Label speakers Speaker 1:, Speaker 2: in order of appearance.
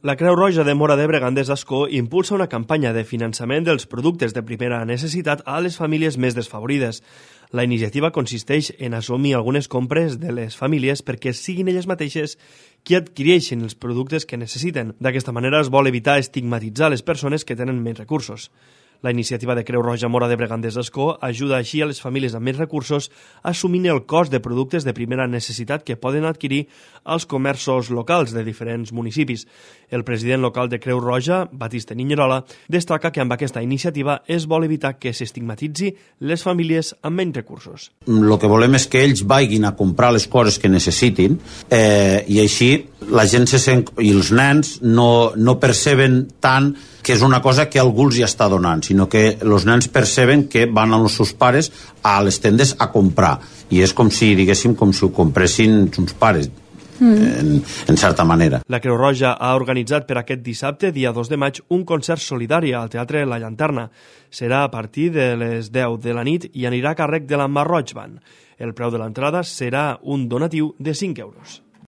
Speaker 1: La Creu Roja de Móra d'Ebre Gandés d'Ascó impulsa una campanya de finançament dels productes de primera necessitat a les famílies més desfavorides. La iniciativa consisteix en assumir algunes compres de les famílies perquè siguin elles mateixes qui adquireixin els productes que necessiten. D'aquesta manera es vol evitar estigmatitzar les persones que tenen menys recursos. La iniciativa de Creu Roja Móra d'Ebre Gandés d'Ascó ajuda així a les famílies amb menys recursos assumint el cost de productes de primera necessitat que poden adquirir als comerços locals de diferents municipis. El president local de Creu Roja, Batiste Niñerola, destaca que amb aquesta iniciativa es vol evitar que s'estigmatitzi les famílies amb menys recursos.
Speaker 2: El que volem és que ells vagin a comprar les coses que necessitin i així la gent i els nens no perceben tant que és una cosa que algú els hi està donant, sinó que els nens perceben que van amb els seus pares a les tendes a comprar. I és com si, diguéssim, com si ho compressin uns pares, en certa manera.
Speaker 1: La Creu Roja ha organitzat per aquest dissabte, dia 2 de maig, un concert solidari al Teatre La Llanterna. Serà a partir de les 10 de la nit i anirà a càrrec de la Mar Roig Band. El preu de l'entrada serà un donatiu de 5 euros.